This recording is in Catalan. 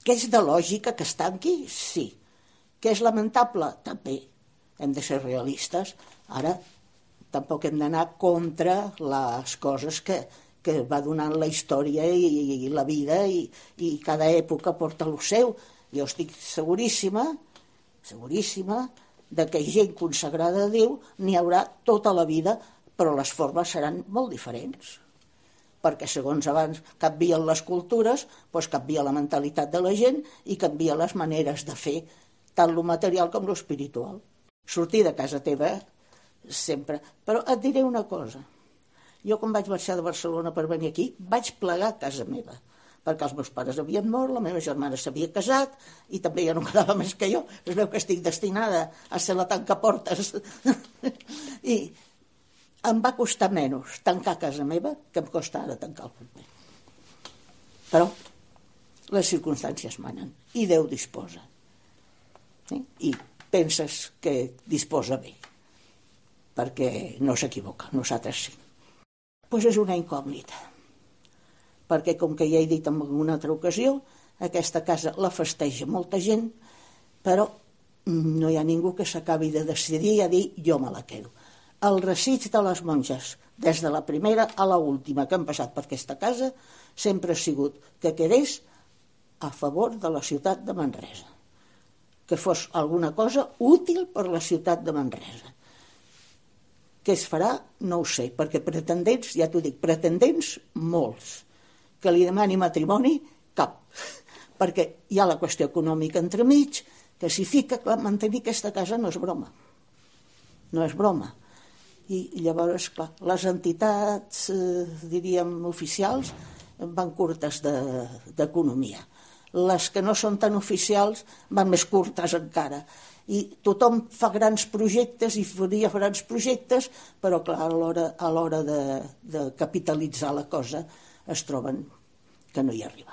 Que és de lògica que es tanqui? Sí. Que és lamentable? També. Hem de ser realistes. Ara tampoc hem d'anar contra les coses que va donant la història i la vida i cada època porta el seu. Jo estic seguríssima de que gent consagrada a Déu n'hi haurà tota la vida, però les formes seran molt diferents. Perquè segons abans canvien les cultures, doncs canvia la mentalitat de la gent i canvia les maneres de fer, tant lo material com lo espiritual. Sortir de casa teva sempre. Però et diré una cosa. Jo quan vaig marxar de Barcelona per venir aquí, vaig plegar a casa meva, perquè els meus pares havien mort, la meva germana s'havia casat i també ja no quedava més que jo. Es veu que estic destinada a ser la tancaportes. I em va costar menys tancar casa meva que em costa ara tancar el convent. Però les circumstàncies manen i Déu disposa. I penses que disposa bé, perquè no s'equivoca, nosaltres sí. Doncs és una incògnita, perquè com que ja he dit en una altra ocasió, aquesta casa la festeja molta gent, però no hi ha ningú que s'acabi de decidir a dir jo me la quedo. El desig de les monges, des de la primera a l'última que han passat per aquesta casa, sempre ha sigut que quedés a favor de la ciutat de Manresa, que fos alguna cosa útil per la ciutat de Manresa. Què es farà? No ho sé, perquè pretendents, ja t'ho dic, pretendents molts. Que li demani matrimoni, cap. Perquè hi ha la qüestió econòmica entremig, que s'hi fica, clar, mantenir aquesta casa no és broma. No és broma. I llavors, clar, les entitats, diríem, oficials, van curtes d'economia. Les que no són tan oficials van més curtes encara. I tothom fa grans projectes i faria grans projectes, però clar, a l'hora de capitalitzar la cosa es troben que no hi arriben.